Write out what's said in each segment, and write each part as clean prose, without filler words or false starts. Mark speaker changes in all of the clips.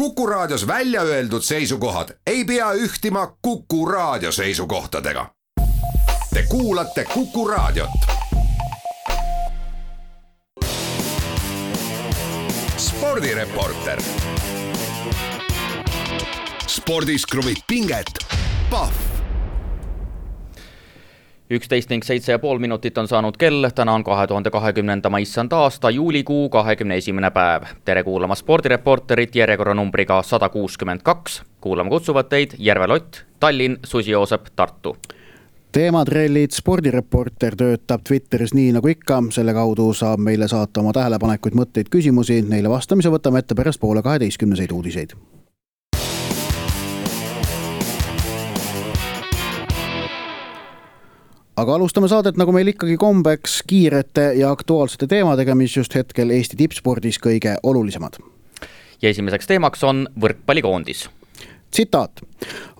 Speaker 1: Kuku Raadios välja öeldud seisukohad ei pea ühtima Kuku Raadio seisukohtadega. Te kuulate Kuku Raadiot. Spordireporter. Spordis kruvib pinget. Pahv.
Speaker 2: 11:07,5 minutit on saanud kell, täna on 2020. issand aasta juulikuu 21. päev. Tere kuulama Spordireporterit järjekorranumbriga 162. Kuulama kutsuvad teid Järve Lott, Tallinn, Susi Joosep, Tartu.
Speaker 3: Teematrellid, Spordireporter töötab Twitteris nii nagu ikka, selle kaudu saab meile saata oma tähelepanekuid, mõtteid, küsimusi, neile vastamise võtame ette pärast 11:30 uudiseid. Aga alustame saadet nagu meil ikkagi kombeks kiirete ja aktuaalsete teemadega, mis just hetkel Eesti tippspordis kõige olulisemad.
Speaker 2: Ja esimeseks teemaks on võrkpallikoondis.
Speaker 3: Tsitaat.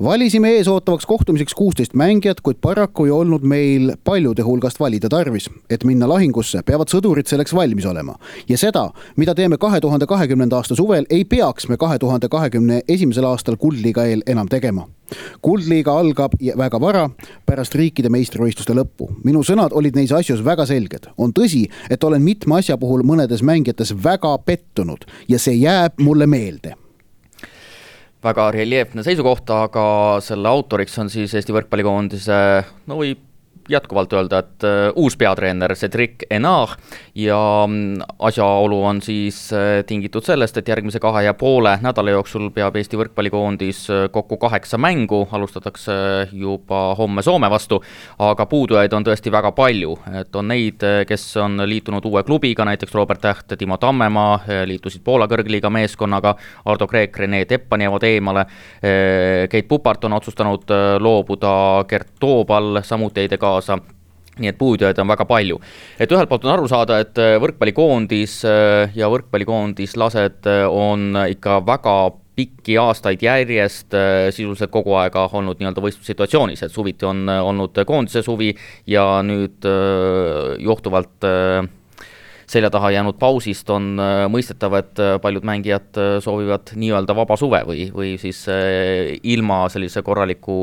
Speaker 3: Valisime eesootavaks kohtumiseks 16 mängijat, kuid paraku ei olnud meil paljude hulgast valida tarvis. Et minna lahingusse, peavad sõdurid selleks valmis olema. Ja seda, mida teeme 2020. aasta suvel, ei peaks me 2021. aastal Kuldliiga eel enam tegema. Kuldliiga algab väga vara pärast riikide meistrivõistluste lõppu. Minu sõnad olid neis asjus väga selged. On tõsi, et olen mitme asja puhul mõnedes mängijates väga pettunud ja see jääb mulle meelde.
Speaker 2: Väga reljeefne seisukoht, aga selle autoriks on siis Eesti võrkpallikoondise, võib jätkuvalt öelda, et uus peatreener Cedric Enard ja asjaolu on siis tingitud sellest, et järgmise 2,5 nädala jooksul peab Eesti võrkpallikoondis kokku 8 mängu, alustatakse juba homme Soome vastu, aga puudujaid on tõesti väga palju, et on neid, kes on liitunud uue klubiga, näiteks Robert Täht, Timo Tammemaa, liitusid Poola kõrgliiga meeskonnaga, Ardo Kreek, Rene Teppani jäävad eemale, Keit Pupart on otsustanud loobuda, Gert Toobal samuti ei kaasa. Nii et puudujaid on väga palju. Et ühelt poolt on aru saada, et võrkpallikoondis ja võrkpallikoondislased on ikka väga pikki aastaid järjest sisuliselt kogu aega olnud nii-öelda võistlussituatsioonis, et suviti on olnud koondise suvi ja nüüd johtuvalt selja taha jäänud pausist on mõistetav, et paljud mängijad soovivad nii-öelda vaba suve või siis ilma sellise korraliku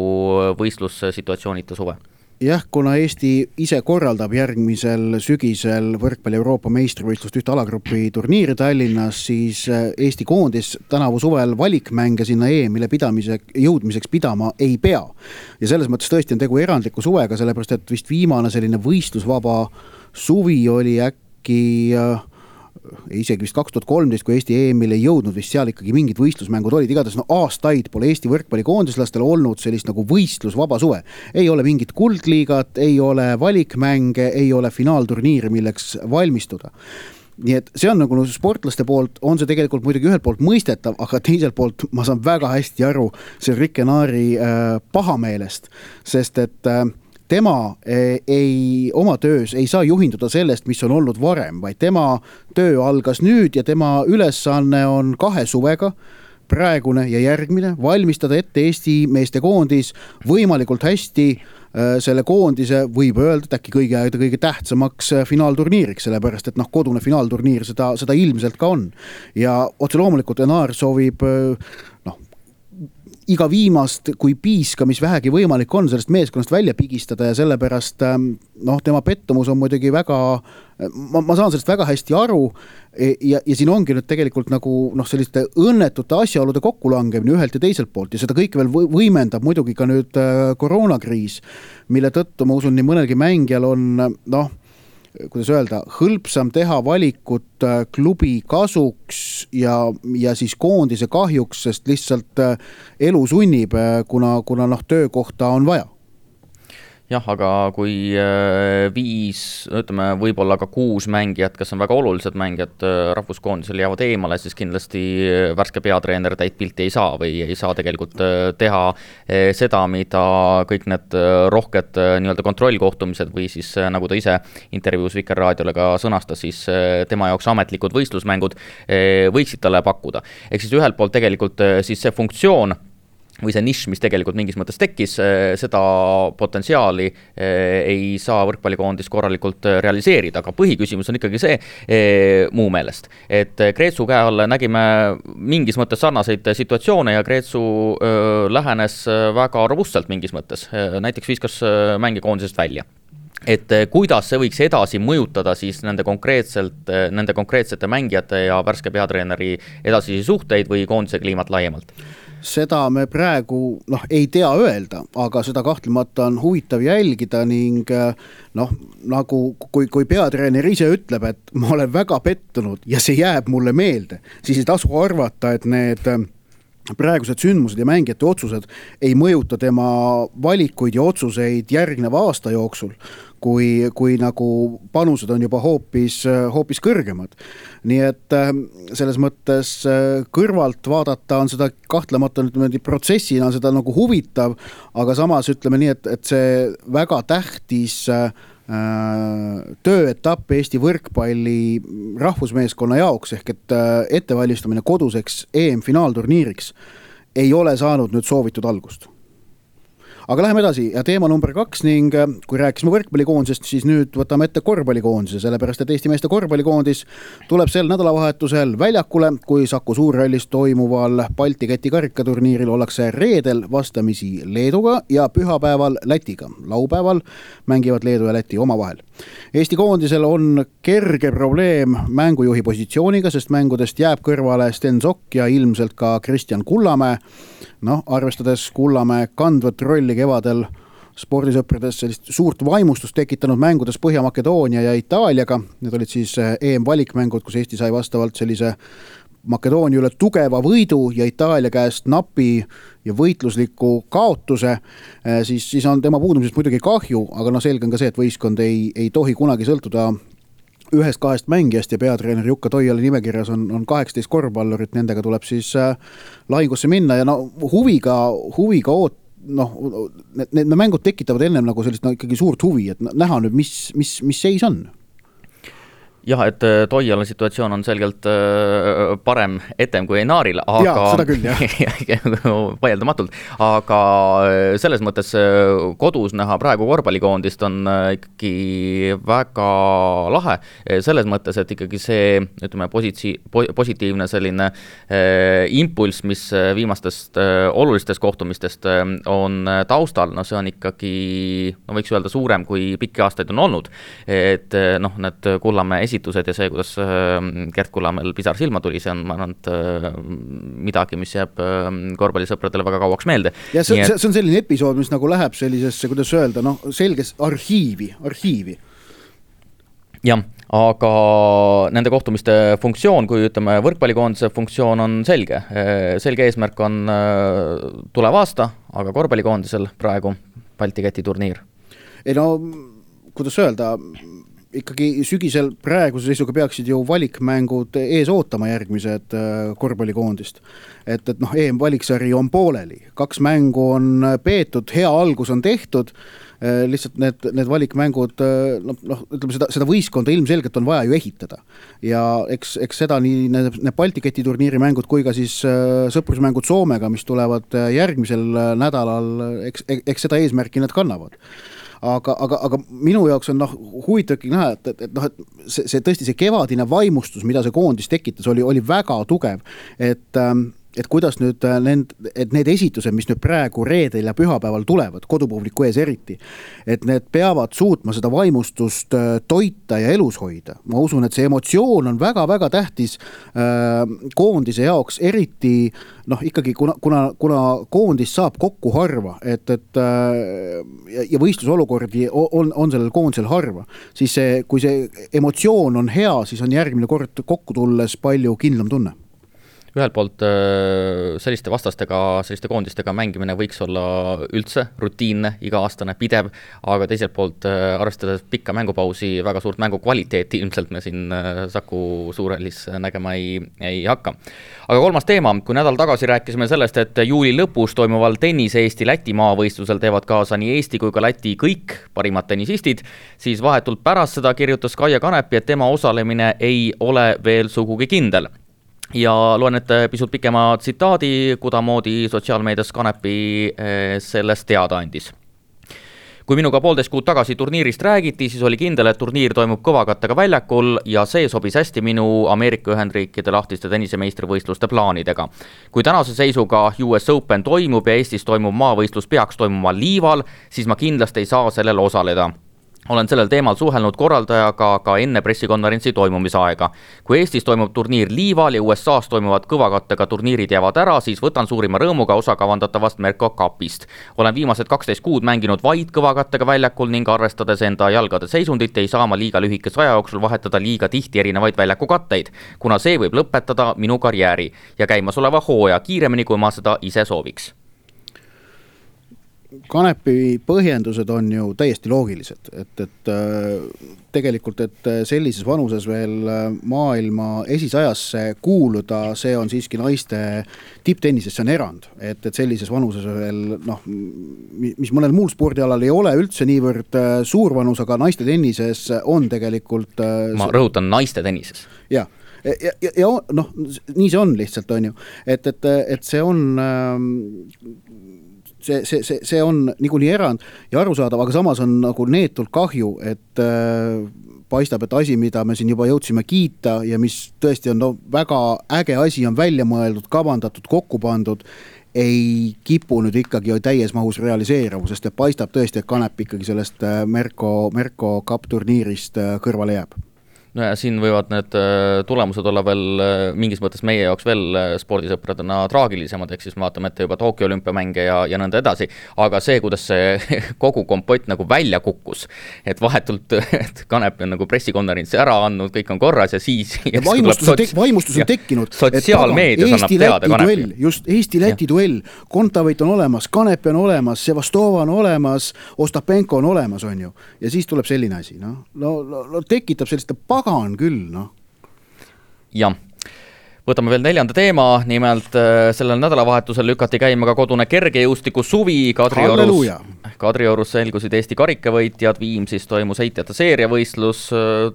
Speaker 2: võistlussituatsioonita suve.
Speaker 3: Jah, kuna Eesti ise korraldab järgmisel sügisel võrkpalli Euroopa meistrivõistlust ühte alagrupi turniiri Tallinnas, siis Eesti koondis tänavu suvel valikmänge sinna EM-ile jõudmiseks pidama ei pea. Ja selles mõttes tõesti on tegu erandliku suvega, sellepärast et vist viimane selline võistlusvaba suvi oli äkki isegi vist 2013, kui Eesti EM-ile ei jõudnud, vist seal ikkagi mingid võistlusmängud olid. Igatahes aastaid pole Eesti võrkpallikoondislastel olnud sellist nagu võistlusvaba suve. Ei ole mingit kuldliigat, ei ole valikmänge, ei ole finaalturniiri, milleks valmistuda. Nii et see on nagu sportlaste poolt, on see tegelikult muidugi ühelt poolt mõistetav, aga teiselt poolt ma saan väga hästi aru see Rick Enari pahameelest, sest et tema oma töös ei saa juhinduda sellest, mis on olnud varem, vaid tema töö algas nüüd ja tema ülesanne on 2 suvega, praegune ja järgmine, valmistada ette Eesti meeste koondis võimalikult hästi selle koondise võib öelda, et äkki kõige tähtsamaks finaalturniiriks, sellepärast et kodune finaalturniir seda ilmselt ka on. Ja otse loomulikult Enar soovib iga viimast, kui piiska, mis vähegi võimalik on, sellest meeskonnast välja pigistada ja sellepärast tema pettumus on muidugi väga, ma saan sellest väga hästi aru ja siin ongi nüüd tegelikult nagu selliste õnnetute asjaolude kokkulangemine ühelt ja teiselt poolt ja seda kõike veel võimendab muidugi ka nüüd koroonakriis, mille tõttu ma usun nii mõnelgi mängijal on kuidas öelda, hõlpsam teha valikut klubi kasuks ja siis koondise kahjuks, sest lihtsalt elu sunnib, kuna töökohta on vaja.
Speaker 2: Jah, aga kui 5, ütleme võib-olla ka 6 mängijat, kes on väga olulised mängijad rahvuskoondisel jäävad eemale, siis kindlasti värske peatreener täit pilti ei saa või ei saa tegelikult teha seda, mida kõik need rohked nii-öelda kontrollkohtumised või siis nagu ta ise intervjuus Vikerraadiole ka sõnastas, siis tema jaoks ametlikud võistlusmängud võiksid talle pakkuda. Ehk siis ühelt poolt tegelikult siis see funktsioon või see nišš, mis tegelikult mingis mõttes tekkis, seda potentsiaali ei saa võrkpallikoondis korralikult realiseerida, aga põhiküsimus on ikkagi see muu meelest, et Kreetsu käe all nägime mingis mõttes sarnaseid situatsioone ja Kreetsu lähenes väga robustselt mingis mõttes, näiteks viskas mänge koondisest välja. Et kuidas see võiks edasi mõjutada siis nende konkreetsete mängijate ja värske peatreeneri edasisi suhteid või koondise kliimat laiemalt?
Speaker 3: Seda me praegu ei tea öelda, aga seda kahtlemata on huvitav jälgida ning nagu kui peatreener ise ütleb, et ma olen väga pettunud ja see jääb mulle meelde, siis ei tasu arvata, et need praegused sündmused ja mängijate otsused ei mõjuta tema valikuid ja otsuseid järgneva aasta jooksul, kui nagu panused on juba hoopis kõrgemad. Nii et selles mõttes kõrvalt vaadata on seda kahtlemata protsessina seda nagu huvitav, aga samas ütleme nii, et see väga tähtis tööetapp Eesti võrkpalli rahvusmeeskonna jaoks ehk et ettevalmistamine koduseks EM-finaalturniiriks ei ole saanud nüüd soovitud algust. Aga läheme edasi ja teema number 2 ning kui rääkisime võrkpallikoondisest, siis nüüd võtame ette korvpallikoondise, sellepärast et Eesti meeste korvpallikoondis tuleb sel nädalavahetusel väljakule, kui Saku Suurhallis toimuval Balti keti karikaturniiril ollakse reedel vastamisi Leeduga ja pühapäeval Lätiga. Laupäeval mängivad Leedu ja Läti omavahel. Eesti koondisel on kerge probleem mängujuhi positsiooniga, sest mängudest jääb kõrvale Sten Sokk ja ilmselt ka Kristjan Kullamäe. Arvestades Kullamäe kandvat rolli kevadel spordisõprades sellist suurt vaimustust tekitanud mängudes Põhja-Makedoonia ja Itaaliaga. Need olid siis EM-valikmängud, kus Eesti sai vastavalt sellise Makedoonia üle tugeva võidu ja Itaalia käest napi ja võitlusliku kaotuse, siis on tema puudumisest muidugi kahju, aga selge on ka see, et võistkond ei tohi kunagi sõltuda 1-2 mängijast ja peatreener Jukka Toiala nimekirjas on 18 korvpallurit, nendega tuleb siis lahingusse minna ja huviga need mängud tekitavad ennem nagu sellist ikkagi suurt huvi, et näha nüüd, mis seis on.
Speaker 2: Jah, et Toiala situatsioon on selgelt parem etem kui Enaaril, aga
Speaker 3: seda küll, jah.
Speaker 2: vaieldamatult, aga selles mõttes kodus näha praegu korvpallikoondist on ikkagi väga lahe, selles mõttes, et ikkagi see, ütleme, positiivne selline impulss, mis viimastest olulistest kohtumistest on taustal, see on ikkagi, võiks öelda, suurem kui pikki aastaid on olnud, et need Kullamäe esitused ja see, kuidas Gert Kullamäel pisar silma tuli, see on midagi, mis jääb korvpallisõpradele väga kauaks meelde.
Speaker 3: Ja see on selline episood, mis nagu läheb sellisesse, kuidas öelda, selges arhiivi.
Speaker 2: Jah, aga nende kohtumiste funktsioon, kui ütleme võrkpallikoondise funktsioon on selge. Selge eesmärk on tulev aasta, aga korvpallikoondisel praegu Balti keti turniir.
Speaker 3: Kuidas öelda, ikkagi sügisel praeguse seisuga peaksid ju valikmängud ees ootama järgmised korvpallikoondist. Et EM-valiksari on pooleli. 2 mängu on peetud, hea algus on tehtud, lihtsalt need valikmängud, ütleme seda võistkonda ilmselgelt on vaja ju ehitada. Ja eks seda nii need Balti keti turniiri mängud kui ka siis sõprusmängud Soomega, mis tulevad järgmisel nädalal, eks seda eesmärki nad kannavad. Aga minu jaoks on huvitav näha, et see tõesti see kevadine vaimustus, mida see koondis tekitas, oli väga tugev, et kuidas nüüd need esitused, mis nüüd praegu reedel ja pühapäeval tulevad, kodupubliku ees eriti, et need peavad suutma seda vaimustust toita ja elus hoida. Ma usun, et see emotsioon on väga-väga tähtis koondise jaoks, eriti ikkagi kuna koondis saab kokku harva, ja võistlusolukordi on sellel koondisel harva, siis kui see emotsioon on hea, siis on järgmine kord kokku tulles palju kindlam tunne.
Speaker 2: Ühelt poolt selliste vastastega, selliste koondistega mängimine võiks olla üldse rutiinne, iga-aastane, pidev, aga teiselt poolt arvestades pikka mängupausi, väga suurt mängu kvaliteeti ilmselt me siin Saku Suurhallis nägema ei hakka. Aga kolmas teema, kui nädal tagasi rääkisime sellest, et juuli lõpus toimuval tennise Eesti-Läti maavõistlusel teevad kaasa nii Eesti kui ka Läti kõik parimad tennisistid, siis vahetult pärast seda kirjutas Kaia Kanepi, et tema osalemine ei ole veel sugugi kindel. ja loen ette pisut pikema tsitaadi, kudamoodi sotsiaalmeedias Kanepi sellest teada andis. Kui minuga 1,5 kuud tagasi turniirist räägiti, siis oli kindel, et turniir toimub kõvakattega väljakul ja see sobis hästi minu Ameerika Ühendriikide lahtiste tennisemeistrivõistluste plaanidega. Kui tänase seisuga US Open toimub ja Eestis toimub maavõistlus peaks toimuma liival, siis ma kindlasti ei saa sellel osaleda. Olen sellel teemal suhelnud korraldajaga ka enne pressikonverentsi toimumisaega. Kui Eestis toimub turniir liival ja USA's toimuvad kõvakattega turniirid jäävad ära, siis võtan suurima rõõmuga osa kavandatavast Merko Cupist. Olen viimased 12 kuud mänginud vaid kõvakattega väljakul ning arvestades enda jalgade seisundit ei saa ma liiga lühikese aja jooksul vahetada liiga tihti erinevaid väljakukatteid, kuna see võib lõpetada minu karjääri ja käimasoleva hooaja kiiremini, kui ma seda ise sooviks.
Speaker 3: Kanepi põhjendused on ju täiesti loogilised, et tegelikult, et sellises vanuses veel maailma esisajasse kuuluda, see on siiski naiste tipptennises, see on erand, et sellises vanuses veel, mis mõnel muul spordialal ei ole üldse niivõrd suur vanus, aga naiste tennises on tegelikult...
Speaker 2: Ma rõhutan naiste tennises.
Speaker 3: Jah. Ja nii see on lihtsalt, on ju, et see on... See on niikuinii erand ja arusaadav, aga samas on nagu neetult kahju, et paistab, et asi, mida me siin juba jõudsime kiita ja mis tõesti on väga äge asi, on välja mõeldud, kavandatud, kokku pandud, ei kipu nüüd ikkagi täies mahus realiseeruv, sest paistab tõesti, et Kanep ikkagi sellest Merko Cup turniirist kõrvale jääb.
Speaker 2: No ja siin võivad need tulemused olla veel mingis mõttes meie jaoks veel spordisõpradena traagilisemad, ehk siis me vaatame ette juba Tokyo olümpiamänge ja nõnda edasi, aga see, kuidas see kogu kompott nagu välja kukkus, et vahetult et Kanep on nagu pressikonverentsi ära andnud, kõik on korras ja siis...
Speaker 3: Ja vaimustus on tekkinud.
Speaker 2: Sotsiaalmeedias annab teada Kanepi.
Speaker 3: Just Eesti-Läti duell, Kontaveit on olemas, Kanep on olemas, Sevastova on olemas, Ostapenko on olemas, on ju. Ja siis tuleb selline asi, no tekitab selliste pagan küll,
Speaker 2: Jah. Võtame veel 4. teema, nimelt sellel nädalavahetusel lükati käima ka kodune kergejõustiku suvi Kadriorus selgusid Eesti karikavõitjad, Viimsis toimus heitjate seeriavõistlus,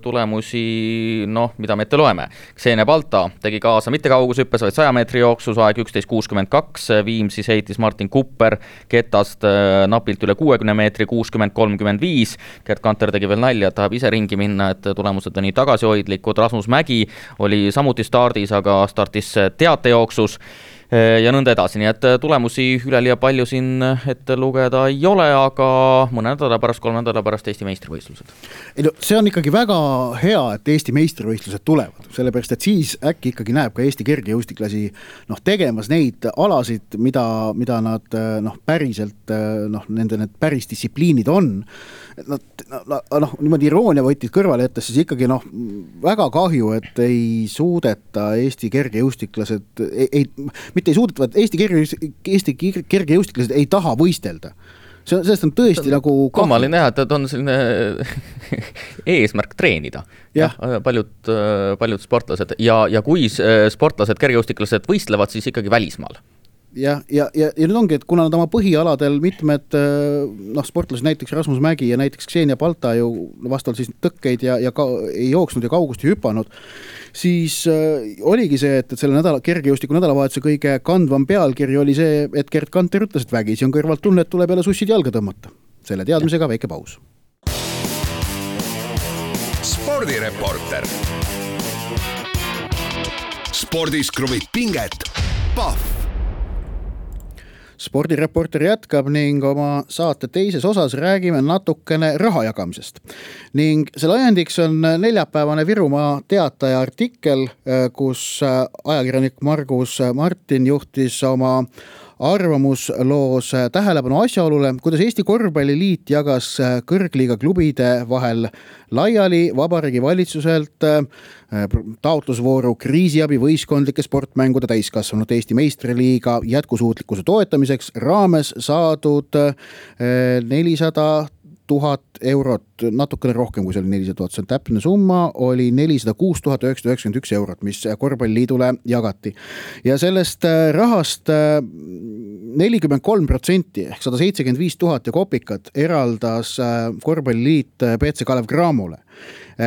Speaker 2: tulemusi, mida me ette loeme. Ksenia Balta tegi kaasa mitte kaugushüppes, vaid 100 meetri jooksus aeg 11.62, Viimsis heitis Martin Kupper ketast napilt üle 60 meetri 60.35, Gert Kanter tegi veel nalja, et tahab ise ringi minna, et tulemused on nii tagasihoidlikud, Rasmus Mägi oli samuti stardis, aga startis teatejooksus ja nõnda edasi, nii et tulemusi üleliia palju siin ette lugeda ei ole, aga mõne nädala pärast, 3 nädala pärast Eesti meistrivõistlused.
Speaker 3: See on ikkagi väga hea, et Eesti meistrivõistlused tulevad, sellepärast, et siis äkki ikkagi näeb ka Eesti kergejõustiklasi tegemas neid alasid, mida nad päriselt, nende need päris distsipliinid on. Niimoodi iroonia võtid kõrvale jättes, siis ikkagi väga kahju, et ei suudeta Eesti kergejõustiklased mitte ei suudeta, et Eesti kergejõustiklased ei taha võistelda. Sellest on tõesti nagu...
Speaker 2: Kummalin näha, et on selline eesmärk treenida. Paljud sportlased. Ja kui sportlased, kergejõustiklased võistlevad, siis ikkagi välismaal.
Speaker 3: Ja nüüd ongi, et kuna nad oma põhialadel mitmed sportlased, näiteks Rasmus Mägi ja näiteks Ksenia Balta ju vastavalt siis tõkkeid ja ei jooksnud ja kaugust ei hüpanud, siis oligi see, et selle kergejõustiku nädalavahetuse kõige kandvam pealkiri oli see, et Gert Kanter ütles, et vägisi on kõrvalt tunne, et tuleb jälle sussid jalga tõmmata. Selle teadmisega väike paus.
Speaker 1: Spordireporter. Spordis kruvib pinget. Pahv.
Speaker 3: Spordireporter jätkab ning oma saate teises osas räägime natukene raha jagamisest. Ning selle ajendiks on neljapäevane Virumaa Teataja artikkel, kus ajakirjanik Margus Martin juhtis oma arvamusloos tähelepanu asjaolule, kuidas Eesti Korvpalliliit jagas kõrgliiga klubide vahel laiali Vabariigi Valitsuselt taotlusvooru kriisiabi võistkondlike sportmängude täiskasvanud Eesti meistriliiga jätkusuutlikkuse toetamiseks raames saadud 400 000 eurot, natukene rohkem kui see oli 400 000, see on täpne summa, oli 406 991 eurot, mis Korvpalliliidule jagati. Ja sellest rahast 43% ehk 175 000 ja kopikat eraldas korvpalliliit BC Kalev Cramole,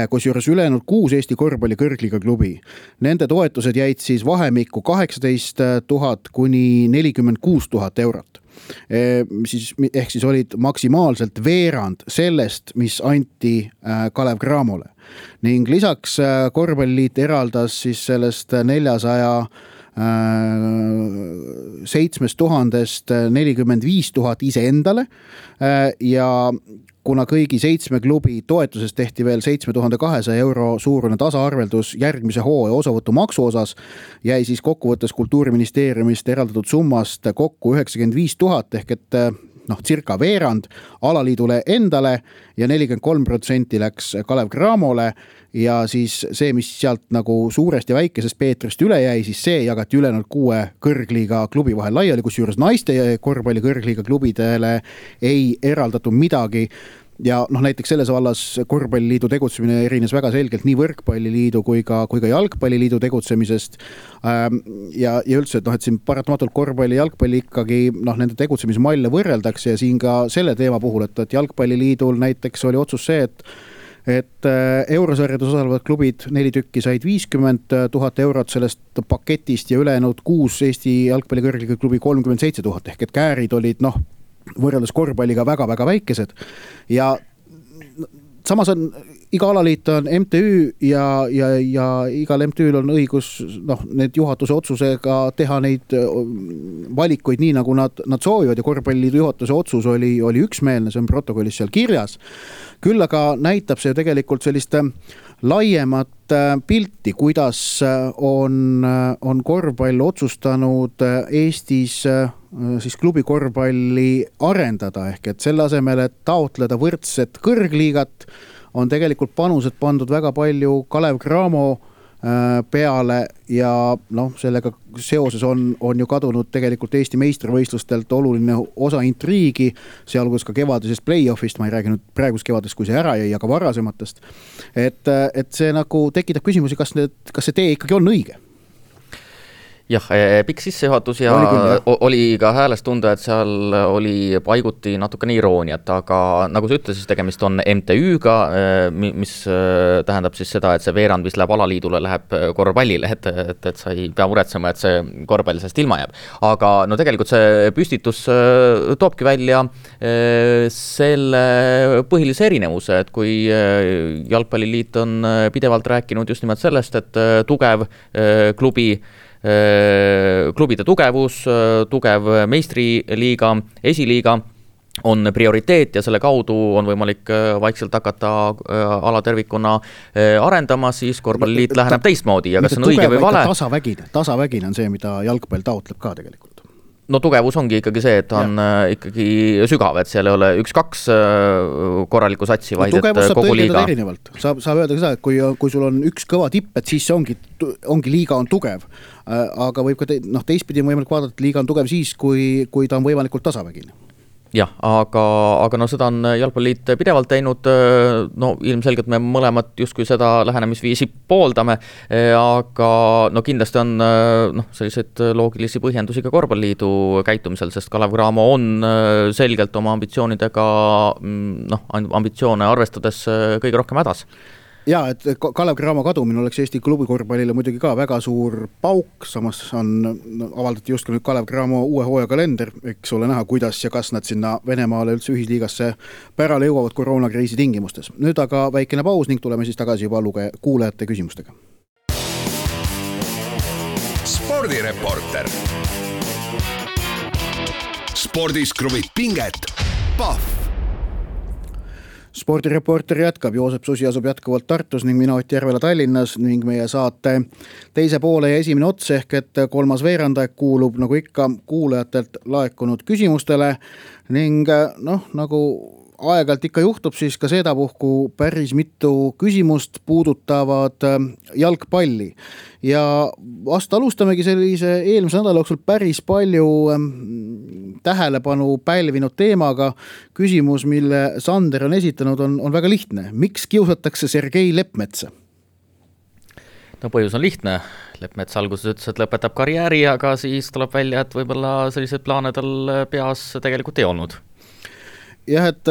Speaker 3: kusjuures ülejäänud 6 Eesti korvpalli kõrgliiga klubi. Nende toetused jäid siis vahemikku 18 000 kuni 46 000 eurot. Ehk siis olid maksimaalselt veerand sellest, mis anti Kalev Cramole. Ning lisaks korvpalliliit eraldas siis sellest 7 000 45 000 iseendale ja kuna kõigi 7 klubi toetusest tehti veel 7200 euro suurune tasaarveldus järgmise hooaja osavõtumaksu osas, jäi siis kokkuvõttes Kultuuriministeeriumist eraldatud summast kokku 95 000 ehk et circa veerand alaliidule endale ja 43% läks Kalev Cramole ja siis see, mis sealt nagu suurest ja väikesest Peetrist üle jäi, siis see jagati ülejäänud 6 kõrgliiga klubi vahel laiali, kusjuures naiste korvpalli kõrgliiga klubidele ei eraldatud midagi. Ja näiteks selles vallas korvpalliliidu tegutsemine erines väga selgelt nii võrkpalliliidu kui ka jalgpalliliidu tegutsemisest ja üldse, et siin paratamatult korvpalli ja jalgpalli ikkagi nende tegutsemismalle võrreldakse ja siin ka selle teema puhul, et jalgpalliliidul näiteks oli otsus see, et eurosarjades osalevad klubid 4 tükki said 50 000 eurot sellest paketist ja ülejäänud 6 Eesti jalgpalli kõrgliiga klubi 37 000 ehk et käärid olid võrreldes korvpalliga väga-väga väikesed ja samas on iga alaliit on MTÜ ja igal MTÜ-l on õigus need juhatuse otsusega teha neid valikuid nii, nagu nad soovivad ja korvpalliliidu juhatuse otsus oli üksmeelne, see on protokollis seal kirjas. Küll aga näitab see tegelikult sellist laiemat pilti, kuidas on korvpall otsustanud Eestis siis klubi korvpalli arendada ehk et selle asemel, et taotleda võrdset kõrgliigat, on tegelikult panused pandud väga palju Kalev Cramo peale ja sellega seoses on ju kadunud tegelikult Eesti meistrivõistlustelt oluline osa intriigi, sealhulgas ka kevadisest play-offist, ma ei räägi nüüd praegust kevadest, kui see ära jäi, aga varasematest. Et see nagu tekitab küsimusi, kas see tee ikkagi on õige?
Speaker 2: Jah, pikk sissejuhatus ja oli ka häälest tunda, et seal oli paiguti natukene irooniat, aga nagu sa ütlesid, tegemist on MTÜ-ga, mis tähendab siis seda, et see veerand, mis läheb alaliidule, läheb korvpallile, et sa ei pea muretsema, et see korvpall sellest ilma jääb. Aga tegelikult see püstitus toobki välja selle põhilise erinevuse, et kui Jalgpalliliit on pidevalt rääkinud just nimelt sellest, et tugev klubide tugevus, tugev meistriliiga, esiliiga on prioriteet ja selle kaudu on võimalik vaikselt hakata alatervikuna arendama, siis korvpalliliit läheneb teistmoodi ja kas on õige või vale?
Speaker 3: Tasavägine on see, mida jalgpall taotleb ka tegelikult.
Speaker 2: No tugevus ongi ikkagi see, et on ikkagi sügav, et seal ei ole 1-2 korralikku satsi, vaid et kogu liiga.
Speaker 3: Saab öelda ka seda, et kui sul on üks kõva tipp, et siis see ongi liiga on tugev. Aga võib ka teistpidi on võimalik vaadata, et liiga on tugev siis, kui ta on võimalikult tasavägine.
Speaker 2: Jah, aga seda on Jalgpalliliit pidevalt teinud, ilmselgelt me mõlemad justkui seda lähenemisviisi pooldame, aga kindlasti on selliseid loogilisi põhjendusi ka korvpalliliidu käitumisel, sest Kalev Cramo on selgelt oma ambitsioonidega, ambitsioone arvestades kõige rohkem hädas.
Speaker 3: Ja, et Kalev Cramo kadumine oleks Eesti klubi korvpallile muidugi ka väga suur pauk, samas on avaldati just nüüd Kalev Cramo uue hooaja kalender, eks ole näha, kuidas ja kas nad sinna Venemaale üldse ühisliigasse pärale jõuavad koroonakriisi tingimustes. Nüüd aga väikene paus ning tuleme siis tagasi juba kuulajate küsimustega.
Speaker 1: Spordireporter. Spordis kruvib pinget. Pahv.
Speaker 3: Spordireporter jätkab, Joosep Susi asub jätkuvalt Tartus ning mina Ott Järvela Tallinnas ning meie saate teise poole ja esimene ots ehk et kolmas veerandaeg kuulub nagu ikka kuulajatelt laekunud küsimustele ning nagu aeg-ajalt ikka juhtub, siis ka sedapuhku päris mitu küsimust puudutavad jalgpalli. Ja vast alustamegi sellise eelmise nädala jooksul päris palju tähelepanu pälvinud teemaga. Küsimus, mille Sander on esitanud, on väga lihtne. Miks kiusatakse Sergei Lepmetsa?
Speaker 2: No põhjus on lihtne, Leppmets alguses ütles, et lõpetab karjääri, aga siis tuleb välja, et võib-olla sellised plaane tal peas tegelikult ei olnud.
Speaker 3: Jah, et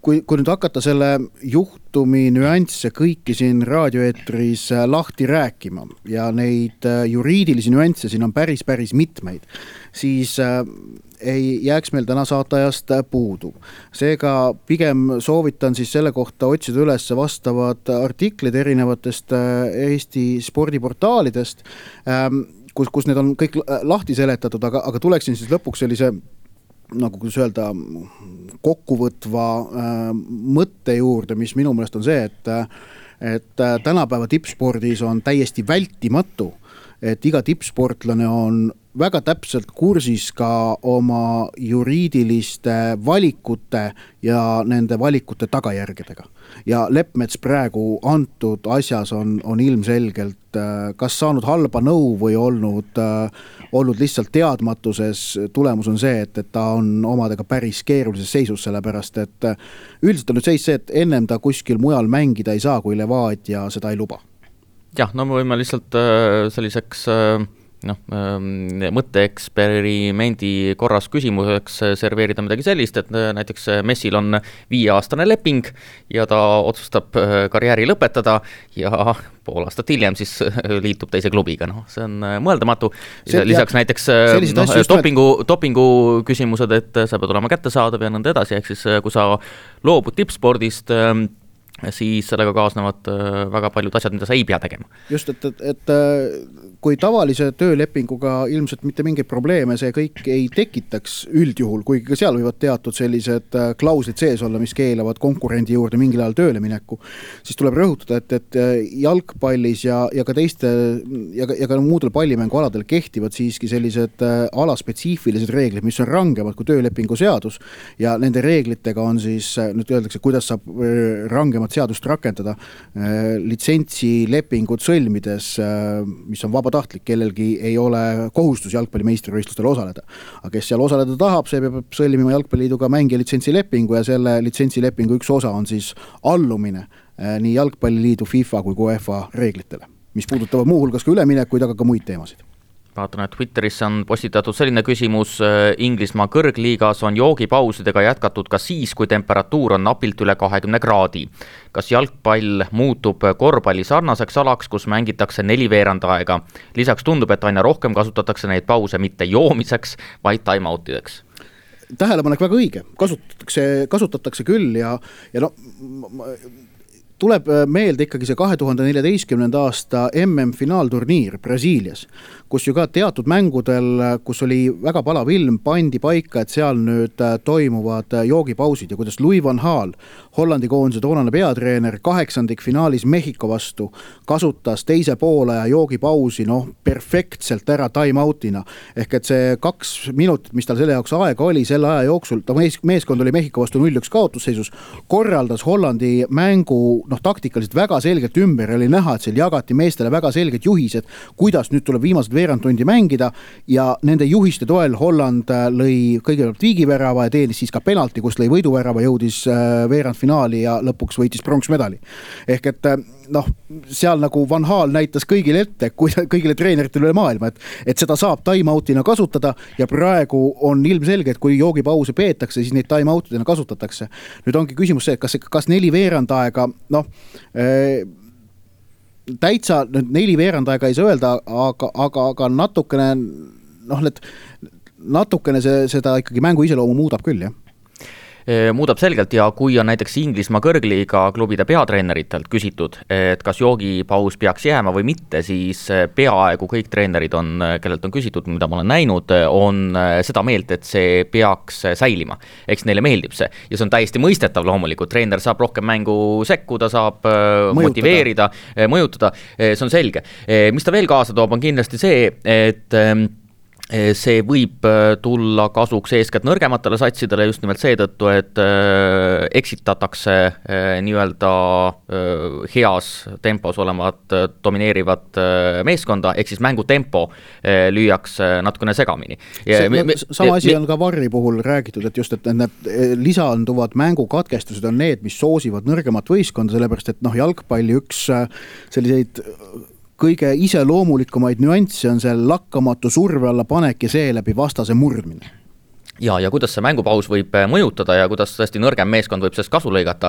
Speaker 3: kui nüüd hakata selle juhtumi nüansse kõiki siin raadioeetris lahti rääkima ja neid juriidilisi nüansse siin on päris mitmeid, siis ei jääks meil täna saatajast puudu. Seega pigem soovitan siis selle kohta otsida üles vastavad artiklid erinevatest Eesti spordiportaalidest, kus need on kõik lahti seletatud, aga tuleksin siis lõpuks sellise nagu kuidas öelda, kokkuvõtva mõtte juurde, mis minu meelest on see, et tänapäeva tippspordis on täiesti vältimatu, et iga tippsportlane on väga täpselt kursis ka oma juriidiliste valikute ja nende valikute tagajärgedega. Ja Leppmets praegu antud asjas on ilmselgelt kas saanud halba nõu või olnud lihtsalt teadmatuses. Tulemus on see, et ta on omadega päris keerulises seisus, sellepärast, et üldiselt on nüüd seis see, et ennem ta kuskil mujal mängida ei saa, kui Levadia seda ei luba.
Speaker 2: Jah, no me võime lihtsalt selliseks mõtteeksperimendi korras küsimuseks serveerida midagi sellist, et näiteks Messil on 5-aastane leping ja ta otsustab karjääri lõpetada ja pool aastat hiljem siis liitub teise klubiga. See on mõeldamatu. Lisaks näiteks dopingu küsimused, et sa pead olema kättesaadav ja nõnda edasi, ehk siis kui sa loobud tippspordist, siis sellega kaasnevad väga paljud asjad, mida sa ei pea tegema.
Speaker 3: Just, et kui tavalise töölepinguga ilmselt mitte mingeid probleeme see kõik ei tekitaks üldjuhul, kuigi ka seal võivad teatud sellised klauslid sees olla, mis keelavad konkurendi juurde mingil ajal tööle mineku, siis tuleb rõhutada, et jalgpallis ja ka teiste ja ka muudel pallimängualadel kehtivad siiski sellised alaspetsiifilised reeglid, mis on rangemad kui töölepingu seadus ja nende reeglitega on siis, nüüd öeldakse, kuidas saab rangemat seadust rakendada litsentsilepingud sõlmides, mis on vabatahtlik, kellelgi ei ole kohustus jalgpalli meistrivõistlustel osaleda. Aga kes seal osaleda tahab, see peab sõlmima jalgpalliliiduga mängija litsentsilepingu ja selle litsentsilepingu üks osa on siis allumine nii jalgpalliliidu, FIFA kui UEFA reeglitele, mis puudutavad muuhulgas ka üleminekuid, aga ka muid teemasid.
Speaker 2: Vaatan, et Twitteris on postitatud selline küsimus, Inglismaa kõrgliigas on joogipausidega jätkatud ka siis, kui temperatuur on napilt üle 20 kraadi. Kas jalgpall muutub korvpalli sarnaseks alaks, kus mängitakse 4 veerandaega? Lisaks tundub, et aina rohkem kasutatakse neid pause mitte joomiseks, vaid time-outideks.
Speaker 3: Tähelepanek väga õige, kasutatakse küll ja tuleb meelde ikkagi see 2014. aasta MM-finaalturniir Brasiilias, kus ju ka teatud mängudel, kus oli väga palav ilm, pandi paika, et seal nüüd toimuvad joogipausid ja kuidas Louis van Gaal, Hollandi koondise toonane peatreener, 8. finaalis Mehhiko vastu kasutas teise poole ja joogipausi perfektselt ära time-outina. Ehk et see 2 minutit, mis tal selle jaoks aega oli, selle aja jooksul, ta meeskond oli Mehhiko vastu 0-1 kaotusseisus, korraldas Hollandi mängu taktikaliselt väga selgelt ümber, oli näha, et seal jagati meestele väga selged juhised, kuidas nüüd tuleb viimased veerandtundi mängida ja nende juhiste toel Holland lõi kõigepealt viigivärava ja teenis siis ka penalti, kus lõi võiduvärava, jõudis veerandfinaali ja lõpuks võitis pronksmedali. Ehk et seal nagu Van Gaal näitas kõigile ette, kõigile treeneritele üle maailma, et seda saab time-outina kasutada ja praegu on ilmselge, et kui joogipause peetakse, siis neid time-outidena kasutatakse. Nüüd ongi küsimus see, et kas 4 veerandaega, täitsa 4 veerandaega ei saa öelda, aga natukene seda ikkagi mängu iseloomu muudab küll, jah.
Speaker 2: Muudab selgelt ja kui on näiteks Inglismaa kõrgliiga klubide peatreeneritelt küsitud, et kas joogipaus peaks jääma või mitte, siis peaaegu kõik treenerid on, kellelt on küsitud, mida ma olen näinud, on seda meelt, et see peaks säilima. Eks neile meeldib see ja see on täiesti mõistetav loomulikult. Treener saab rohkem mängu sekkuda, saab motiveerida, mõjutada, see on selge. Mis ta veel kaasa toob, on kindlasti see, et see võib tulla kasuks eeskätt nõrgematele satsidele just nimelt seetõttu, et eksitatakse nii-öelda heas tempos olevat domineerivad meeskonda, ehk siis mängutempo lüüakse natukene segamini.
Speaker 3: Sama asi on ka Varri puhul räägitud, et just, et need lisanduvad mängukatkestused on need, mis soosivad nõrgemat võistkonda, sellepärast, et jalgpalli üks selliseid kõige iseloomulikumaid nüansse on see lakkamatu surve alla panek ja seeläbi vastase murdmine.
Speaker 2: Ja kuidas see mängupaus võib mõjutada ja kuidas tõesti nõrgem meeskond võib sellest kasu lõigata.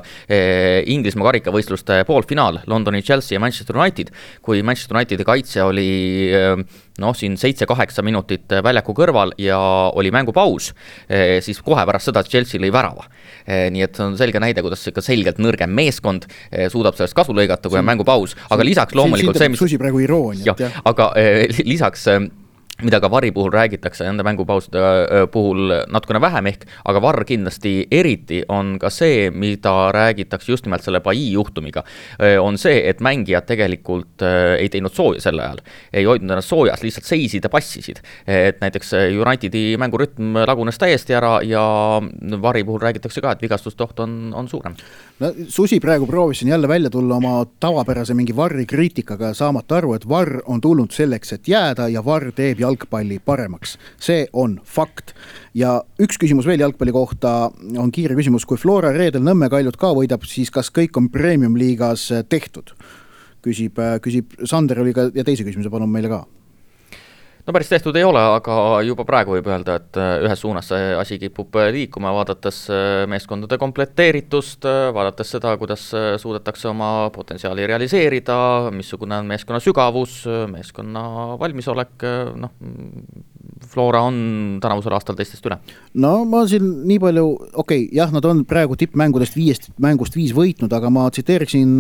Speaker 2: Inglismaa karikavõistluste poolfinaal, Londoni Chelsea ja Manchester United, kui Manchester Unitedi kaitse oli siin 7-8 minutit väljaku kõrval ja oli mängupaus, siis kohe pärast seda Chelsea lõi värava. Nii et on selge näide, kuidas ikka selgelt nõrgem meeskond suudab sellest kasu lõigata, kui on mängupaus, aga lisaks loomulikult
Speaker 3: see, mis Susi praegu irooniat.
Speaker 2: Aga lisaks mida ka VAR-i puhul räägitakse nende mängupauside puhul natukene vähem ehk, aga VAR kindlasti eriti on ka see, mida räägitakse just nimelt selle Pai juhtumiga, on see, et mängijad tegelikult ei teinud sooja sel ajal, ei hoidnud ennast soojas, lihtsalt seisid ja passisid. Et näiteks Unitedi mängurütm lagunes täiesti ära ja VAR-i puhul räägitakse ka, et vigastustoht on suurem.
Speaker 3: No, Susi praegu proovisin jälle välja tulla oma tavapärase mingi VAR-i kriitikaga saamata aru, et VAR on tulnud selleks, et jääda ja VAR teeb jalgpalli paremaks. See on fakt. Ja üks küsimus veel jalgpalli kohta on kiire küsimus. Kui Flora reedel Nõmme Kaljut ka võidab, siis kas kõik on Premium liigas tehtud? Küsib Sander oli ka ja teise küsimuse palun meile ka.
Speaker 2: No päris tehtud ei ole, aga juba praegu võib öelda, et ühes suunas see asi kipub liikuma, vaadates meeskondade kompletteeritust, vaadates seda, kuidas suudetakse oma potentsiaali realiseerida, missugune on meeskonna sügavus, meeskonna valmisolek, Flora on tänavusel aastal teistest üle. No
Speaker 3: ma siin nii palju, jah, nad on praegu tippmängudest 5 mängust 5 võitnud, aga ma tsiteeriksin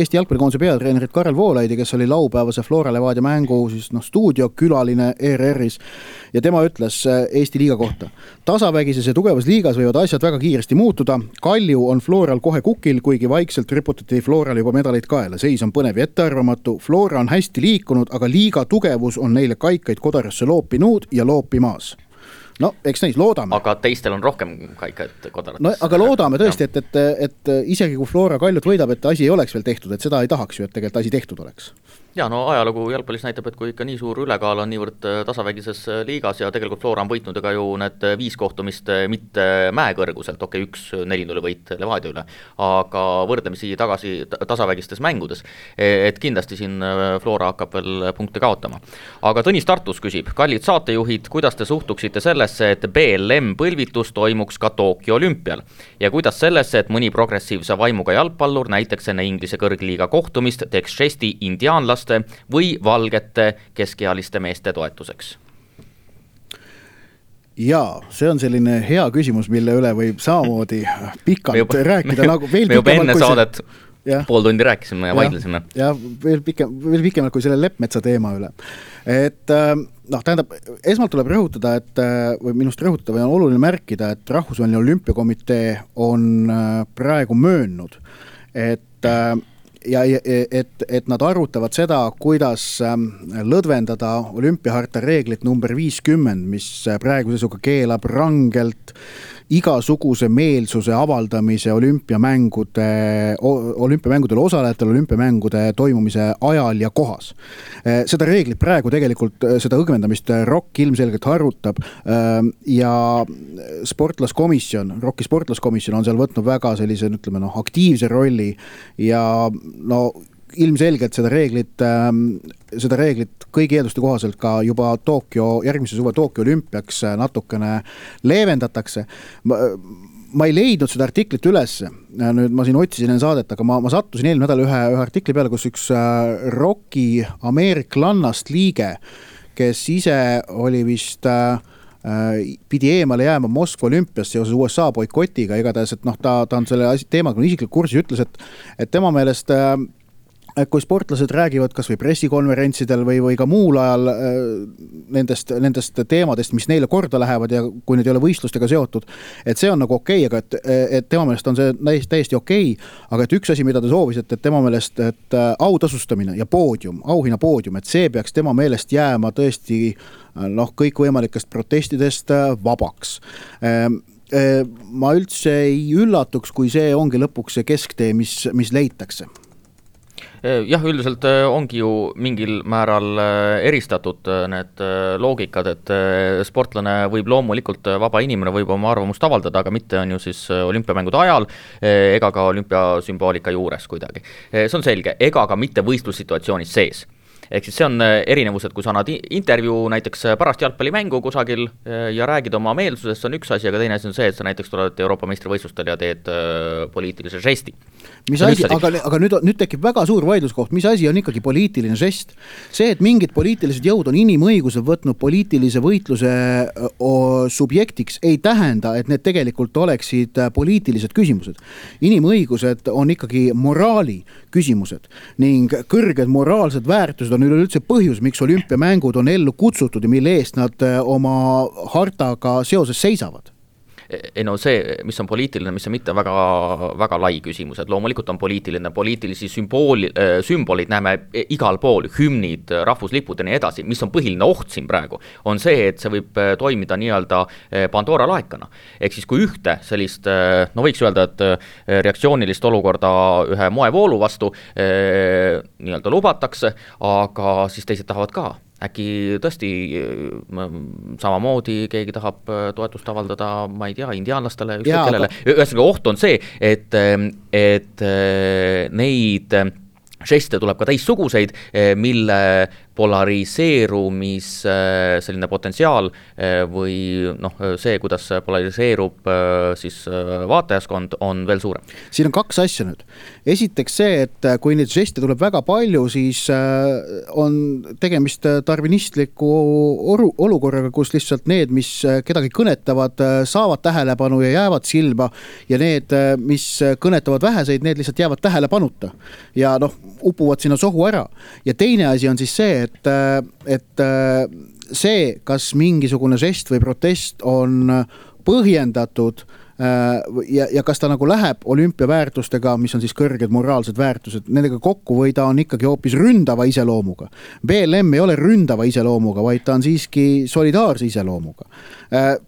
Speaker 3: Eesti jalgpallikoondise peatreenerit Karel Voolaidi, kes oli laupäevase Flora Levadia mängu stuudiokülaline ERR-is ja tema ütles Eesti liiga kohta. Tasavägises ja tugevas liigas võivad asjad väga kiiresti muutuda. Kalju on Floral kohe kukil, kuigi vaikselt riputati Floral juba medaleid kaela. Seis on põnev ja ettearvamatu. Flora on hästi liikunud, aga liiga tugevus on neile kaikaid kodarasse loopinud ja loopimaas. No, eks neis loodame.
Speaker 2: Aga teistel on rohkem kaikaid kodarates.
Speaker 3: No, aga loodame tõesti, et isegi kui Flora Kaljut võidab, et asi ei oleks veel tehtud, et seda ei tahaks ju, et tegelikult asi tehtud oleks.
Speaker 2: Ja no ajalugu jalgpallis näitab, et kui ikka nii suur ülekaal on niivõrd tasavägises liigas ja tegelikult Flora on võitnud ega ju need 5 kohtumist mitte mäekõrguselt, 1-4-0 võit Levadia üle, aga võrdlemisi tagasi tasavägistes mängudes, et kindlasti siin Flora hakkab veel punkte kaotama. Aga Tõnis Tartus küsib, kallid saatejuhid, kuidas te suhtuksite sellesse, et BLM põlvitus toimuks ka Tokyo olümpial ja kuidas sellesse, et mõni progressiivse vaimuga jalgpallur näiteks enne Inglise kõrgliiga kohtumist teeks žesti indiaanlaste või valgete keskealiste meeste toetuseks?
Speaker 3: Jaa, see on selline hea küsimus, mille üle võib samamoodi pikalt rääkida.
Speaker 2: Me juba enne saadet pool tundi rääkisime ja vaidlesime.
Speaker 3: Ja veel pikemalt kui selle Leppmetsa teema üle. Et tähendab, esmalt tuleb rõhutada, või minust rõhutada või on oluline märkida, et Rahvusvaheline Olümpiakomitee on praegu möönnud, et nad arutavad seda, kuidas lõdvendada olümpiaharta reeglit number 50, mis praegu seisuga keelab rangelt igasuguse meelsuse avaldamise olümpiamängudel osalejatele olümpiamängude toimumise ajal ja kohas. Seda reeglit praegu tegelikult, seda õgvendamist ROK ilmselgelt arutab ja ROK-i sportlaskomisjon on seal võtnud väga sellise, aktiivse rolli ja ilmselgelt seda reeglit kõigi eelduste kohaselt ka juba järgmise suve Tokyo olümpiaks natukene leevendatakse. Ma ei leidnud seda artiklit üles, nüüd ma siin otsisin enne saadet, aga ma sattusin eelmine nädal ühe artikli peale, kus üks ROK-i ameeriklannast liige, kes ise oli vist pidi eemale jääma Moskva olümpiast seoses USA boikotiga, igatahes, et ta on selle teemaga isiklik kursis, ütles, et tema meelest kui sportlased räägivad kas või pressikonverentsidel või ka muul ajal nendest teemadest, mis neile korda lähevad ja kui need ei ole võistlustega seotud, et see on nagu okei, aga et tema meelest on see täiesti okei, aga et üks asi, mida ta soovis, et tema meelest, et autasustamine ja auhinna poodium, et see peaks tema meelest jääma tõesti kõikvõimalikest protestidest vabaks. Ma üldse ei üllatuks, kui see ongi lõpuks see kesktee, mis leitakse.
Speaker 2: Jah, üldiselt ongi ju mingil määral eristatud need loogikad, et sportlane võib loomulikult, vaba inimene võib oma arvamust avaldada, aga mitte on ju siis olümpiamängude ajal ega ka olümpiasümboolika juures kuidagi. See on selge, ega ka mitte võistlussituatsioonis sees. Ehk siis see on erinevus, et kui sa annad intervjuu näiteks pärast jalgpallimängu kusagil ja räägid oma meelsusest, see on üks asi, aga teine asi on see, et sa näiteks tuled Euroopa meistrivõistlustel ja teed poliitilise žesti.
Speaker 3: Mis asi, aga nüüd tekib väga suur vaidluskoht, mis asi on ikkagi poliitiline žest? See, et mingid poliitilised jõud on inimõigused võtnud poliitilise võitluse subjektiks, ei tähenda, et need tegelikult oleksid poliitilised küsimused. Inimõigused on ikkagi moraali küsimused ning kõrged moraalsed väärtused on üleüldse põhjus, miks olümpiamängud on ellu kutsutud ja mille eest nad oma hartaga seoses seisavad.
Speaker 2: Ei no see, mis on poliitiline, mis on mitte väga, väga lai küsimus, et loomulikult on poliitilisi sümbolid näeme igal pool, hümnid, rahvuslipud ja nii edasi, mis on põhiline oht siin praegu, on see, et see võib toimida nii-öelda Pandora laekana. Ehk siis kui ühte sellist, no võiks öelda, et reaktsioonilist olukorda ühe moevoolu vastu nii-öelda lubatakse, aga siis teised tahavad ka. Äkki tõesti samamoodi keegi tahab toetust avaldada, ma ei tea, indiaanlastele, kellele. Ühesõnaga oht on see, et neid žeste tuleb ka teistsuguseid, mille polariseerumis selline potentsiaal või see, kuidas polariseerub siis vaatajaskond, on veel suurem.
Speaker 3: Siin on kaks asja nüüd. Esiteks see, et kui neid žeste tuleb väga palju, siis on tegemist tarvinistliku olukorraga, kus lihtsalt need, mis kedagi kõnetavad, saavad tähelepanu ja jäävad silma ja need, mis kõnetavad väheseid, need lihtsalt jäävad tähelepanuta ja upuvad sinna sohu ära. Ja teine asi on siis see, et see, kas mingisugune žest või protest on põhjendatud ja kas ta nagu läheb olümpiaväärtustega, mis on siis kõrged moraalsed väärtused, nendega kokku või ta on ikkagi hoopis ründava iseloomuga. BLM ei ole ründava iseloomuga, vaid ta on siiski solidaarse iseloomuga.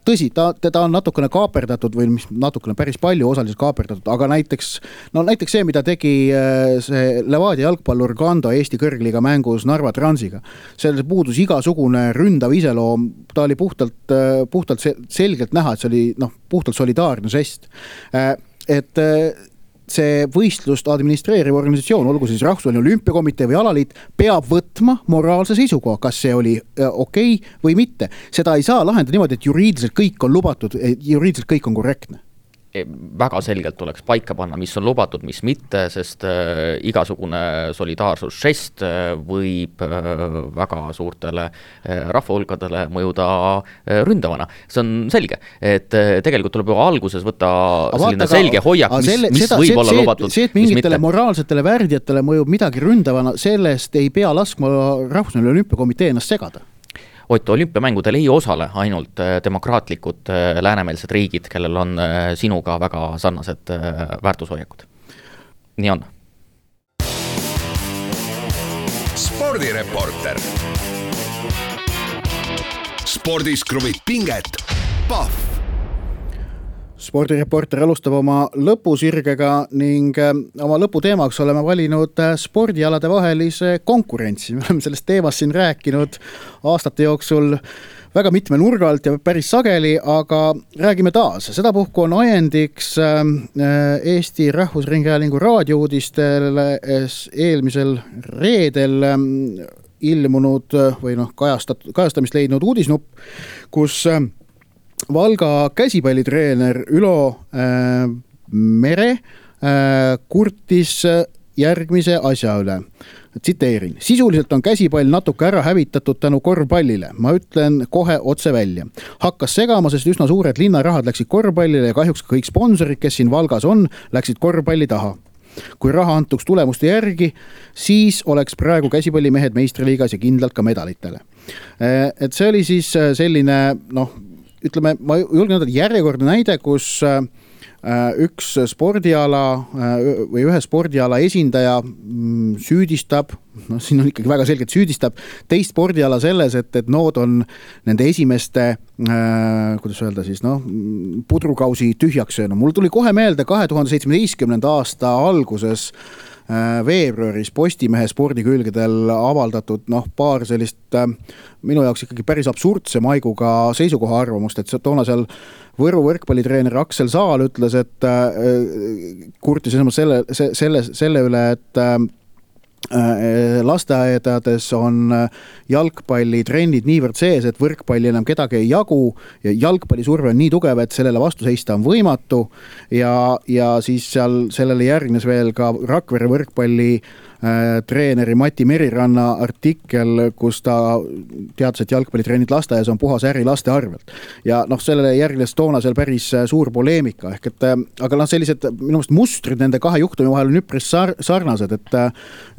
Speaker 3: Tõsi, teda on natukene kaaperdatud või natukene päris palju osaliselt kaaperdatud, aga näiteks see, mida tegi see Levadia jalgpallur Gando Eesti kõrgliiga mängus Narva Transiga. Selles puudus igasugune ründav iseloom, ta oli puhtalt selgelt näha, et see oli puhtalt solidaarne žest. Et see võistlust administreeriv organisatsioon, olgu siis Rahvusvaheline Olümpiakomitee või alaliit, peab võtma moraalse seisukoha, kas see oli okei või mitte. Seda ei saa lahendada niimoodi, et juriidiliselt kõik on lubatud, juriidiliselt kõik on korrektne.
Speaker 2: Väga selgelt tuleks paika panna, mis on lubatud, mis mitte, sest igasugune solidaarsusžest võib väga suurtele rahvahulkadele mõjuda ründavana. See on selge, et tegelikult tuleb juba alguses võtta selline selge hoiak, mis võib olla lubatud,
Speaker 3: see, et mingitele moraalsetele värdjatele mõjub midagi ründavana, sellest ei pea laskma Rahvusvaheline Olümpiakomitee ennast segada.
Speaker 2: Ott, olümpiamängudel ei osale ainult demokraatlikud läänemeelsed riigid, kellel on sinuga väga sarnased väärtushoiakud. Nii on.
Speaker 1: Spordireporter. Spordis kruvib pinget. Pahv.
Speaker 3: Spordireporter alustab oma lõpusirgega ning oma lõputeemaks oleme valinud spordialade vahelise konkurentsi. Me oleme sellest teemast siin rääkinud aastate jooksul väga mitme nurga alt ja päris sageli, aga räägime taas. Sedapuhku on ajendiks Eesti Rahvusringhäälingu raadiouudistele eelmisel reedel ilmunud või kajastamist leidnud uudisnupp, kus Valga käsipallitreener Ülo Mere kurtis järgmise asja üle. Tsiteerin. Sisuliselt on käsipall natuke ära hävitatud tänu korvpallile. Ma ütlen kohe otse välja. Hakkas segama, sest üsna suured linnarahad läksid korvpallile ja kahjuks kõik sponsorid, kes siin Valgas on, läksid korvpalli taha. Kui raha antuks tulemuste järgi, siis oleks praegu käsipallimehed meistriliigas ja kindlalt ka medalitele. Et see oli siis selline, ütleme, ma julgen öelda järjekordne näide, kus üks spordiala või ühe spordiala esindaja süüdistab, siin on ikkagi väga selgelt süüdistab, teist spordiala selles, et nood on nende esimeste, kuidas öelda siis, pudrukausi tühjaks söönud. Mul tuli kohe meelde 2017. aasta alguses veebruaris Postimehe spordikülgedel avaldatud paar sellist minu jaoks ikkagi päris absurdse maiguga seisukoha arvamust, et toona seal Võru võrkpallitreener Aksel Saal ütles, et kurtis selle üle, lasteaedades on jalgpallitrennid niivõrd sees, et võrkpalli enam kedagi ei jagu ja jalgpallisurve on nii tugev, et sellele vastu seista on võimatu ja siis seal sellele järgnes veel ka Rakvere võrkpalli treeneri Mati Meriranna artikkel, kus ta teadis, et jalgpallitrennid lasteaias on puhas äri laste arvelt. Ja sellele järgnes toona seal päris suur poleemika. Ehk et, aga sellised minu meelest mustrid nende kahe juhtumi vahel on üpris sarnased, et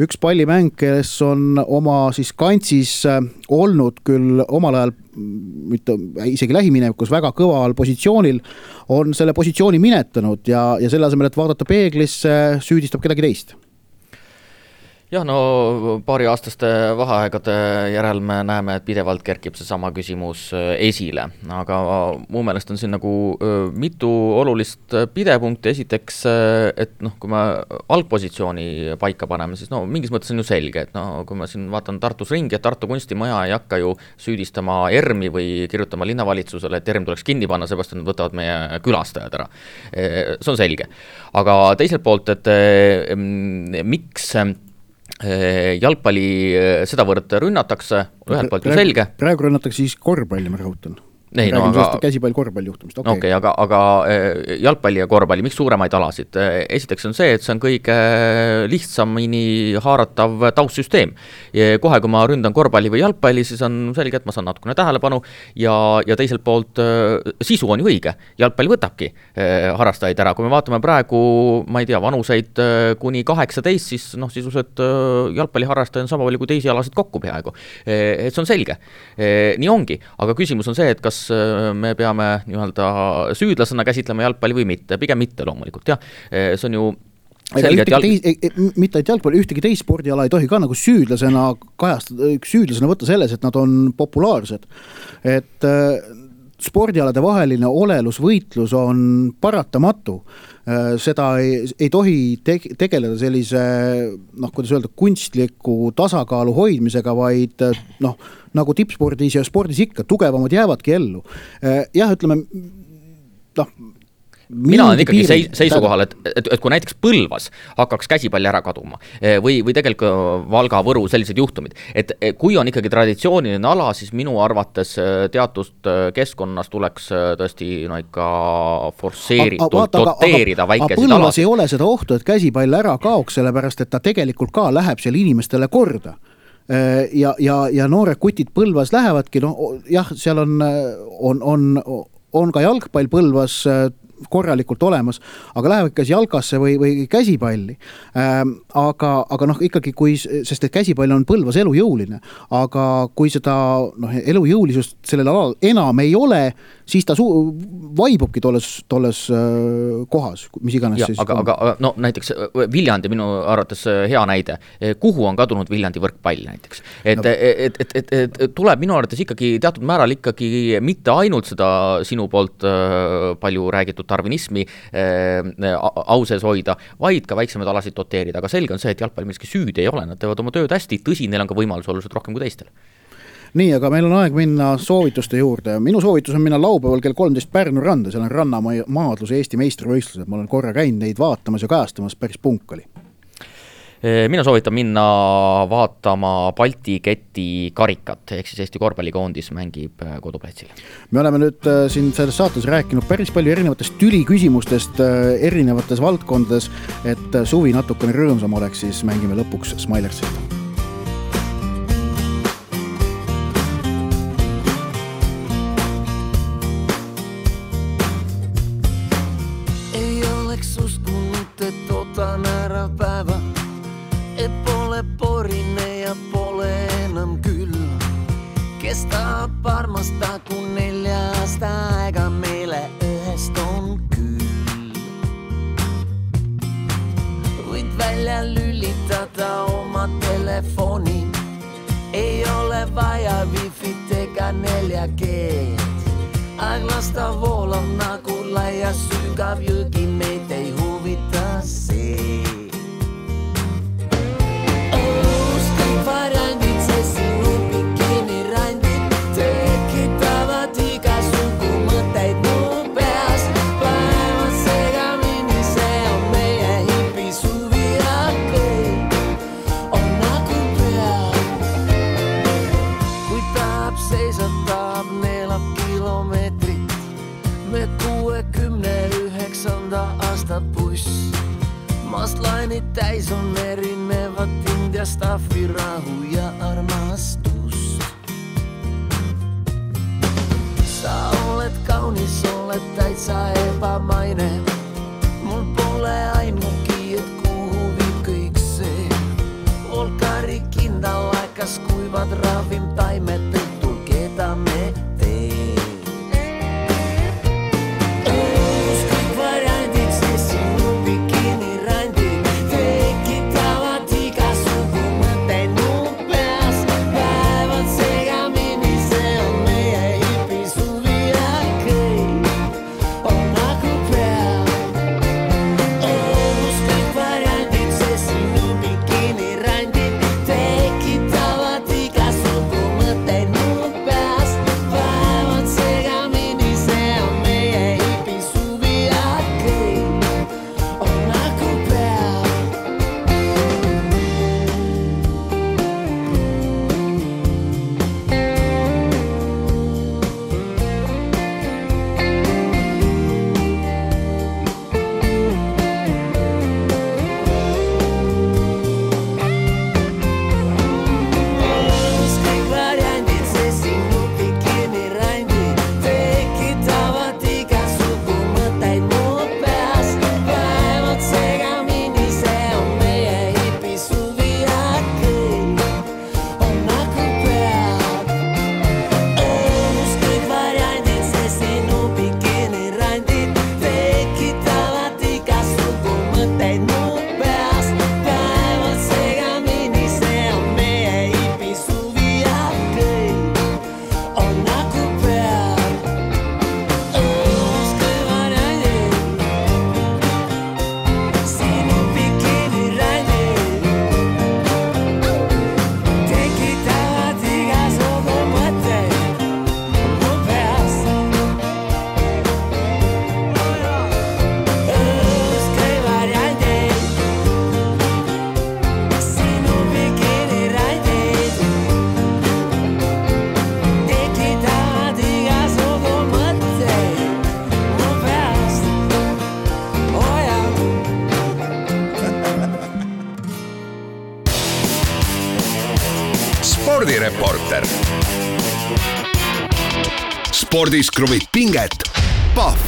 Speaker 3: üks pallimäng, kes on oma siis kantsis olnud küll omal ajal mitte isegi lähiminevikus väga kõval positsioonil, on selle positsiooni minetanud ja selle asemel, et vaadata peeglisse, süüdistab kedagi teist.
Speaker 2: Jah, no paari aastaste vaheaegade järel me näeme, et pidevalt kerkib see sama küsimus esile, aga mu meelest on siin nagu mitu olulist pidepunkti. Esiteks, et kui me algpositsiooni paika paneme, siis mingis mõttes on ju selge, et kui ma siin vaatan Tartus ringi, et Tartu kunstimaja ei hakka ju süüdistama ERM-i või kirjutama linnavalitsusele, et ERM tuleks kinni panna, seepärast nad võtavad meie külastajad ära. See on selge. Aga teiselt poolt, et miks jalgpalli sedavõrd rünnatakse, ühelt poolt ju selge.
Speaker 3: Praegu rünnatakse siis korvpalli, ma rõhutan. Käsipall korvpalli juhtumist.
Speaker 2: Okay, aga jalgpalli ja korvpalli, miks suuremaid alasid? Esiteks on see, et see on kõige lihtsamini haaratav taustsüsteem. Kohe, kui ma ründan korvpalli või jalgpalli, siis on selge, et ma saan natukene tähelepanu ja teiselt poolt sisu on ju õige. Jalgpalli võtabki harrastajaid ära. Kui me vaatame praegu, ma ei tea, vanuseid kuni 18, siis sisuliselt jalgpalli harrastaja on sama palju kui teisi alasid kokku peaaegu. Et see on selge. Nii ongi. Aga küsimus on see, et kas me peame süüdlasena käsitlema jalgpalli või mitte, pigem mitte loomulikult, jah. See on ju selge,
Speaker 3: mitte et jalgpalli, ühtegi teist spordiala ei tohi ka nagu süüdlasena võtta selles, et nad on populaarsed. Et spordialade vaheline olelusvõitlus on paratamatu. Seda ei tohi tegeleda sellise, kuidas öelda, kunstliku tasakaalu hoidmisega, vaid nagu tippspordis ja spordis ikka, tugevamad jäävadki ellu. Jah, ütleme,
Speaker 2: mina olen ikkagi seisukohal, et kui näiteks Põlvas hakkaks käsipalli ära kaduma või tegelikult Valga, Võru sellised juhtumid, et kui on ikkagi traditsiooniline ala, siis minu arvates teatud keskkonnas tuleks tõesti ikka forsseeritult doteerida väikesid alasid.
Speaker 3: Põlvas ei ole seda ohtu, et käsipall ära kaoks, sellepärast et ta tegelikult ka läheb seal inimestele korda. Ja noored kutid Põlvas lähevadki, jah, seal on ka jalgpall Põlvas korralikult olemas, aga lähevad kas jalgasse või käsipalli. Aga ikkagi, sest et käsipall on Põlvas elujõuline, aga kui seda elujõulisust sellel alal enam ei ole, siis ta vaibubki tolles kohas, mis iganes
Speaker 2: ja,
Speaker 3: siis.
Speaker 2: Aga näiteks Viljandi minu arvates hea näide. Kuhu on kadunud Viljandi võrkpall näiteks? Et tuleb minu arvates ikkagi teatud määral ikkagi mitte ainult seda sinu poolt palju räägitud tarvinismi au sees hoida, vaid ka väiksemaid alasid doteerida. Aga selge on see, et jalgpall millegi süüd ei ole, nad teevad oma tööd hästi, tõsi, neil on ka võimalus oluliselt rohkem kui teistel.
Speaker 3: Nii, aga meil on aeg minna soovituste juurde. Minu soovitus on minna laupäeval kell 13 Pärnu randa, seal on rannamaadluse Eesti meistrivõistlused. Ma olen korra käinud neid vaatamas ja kajastamas, päris punkali.
Speaker 2: Mina soovitan minna vaatama Balti keti karikat, ehk siis Eesti korvpallikoondis mängib koduplatsil.
Speaker 3: Me oleme nüüd siin selles saates rääkinud päris palju erinevatest tüliküsimustest erinevates valdkondades, et suvi natukene rõõmsam oleks, siis mängime lõpuks Smilersit.
Speaker 4: Ei oleks uskunut, et otan ära päeva, et pole porine ja pole enam küll. Kestab armasta, kun 4 aega meile ühest on küll. Võid välja lülitada oma telefoni, ei ole vaja wifi't ega 4G-d. Aeg lasta voolab nagu laia sügav jõgi, meid ei huvita see. Variandid, see sinu bikinirandid tekitavad igasugu mõtteid mu peas. Päevad segamini, see on meie hipi suvi, okei. On plaanid täis on erinevat Indiastaffi, rahu ja armastust. Sa oled kaunis, oled täitsa ebamaine. Mul pole aimugi, et kuhu viib kõik see. Volkari kindal aikas kuivad ravim taimet õhtul, keda me teen. Kõik variandid, see sinu bikinirandid tekitavad igasugu mõtteid mu peas. Päevad segamini, see on meie hipisuvi okei, on nagu peal. Kõik variandid, see sinu bikinirandid tekitavad igasugu mõtteid mu peas. Päevad segamini, see on meie hipisuvi okei, on nagu peal. Kõik variandid, see sinu bikinirandid tekitavad igasugu mõtteid mu peas. Päevad segamini, see on meie hipisuvi okei, on nagu peal. Kõik variandid, see sinu bikinirandid tekitavad igasugu mõtteid mu peas. Päevad segamini, see on meie hipisuvi okei, on nagu peal. Kõik variandid, sinu bikinirandid tekitavad igasugu mõtteid mu peas. Kõik variandid, sinu bikinirandid tekitavad igasugu mõtteid mu peas.
Speaker 1: Spordireporter. Spordis kruvib pinget. Pahv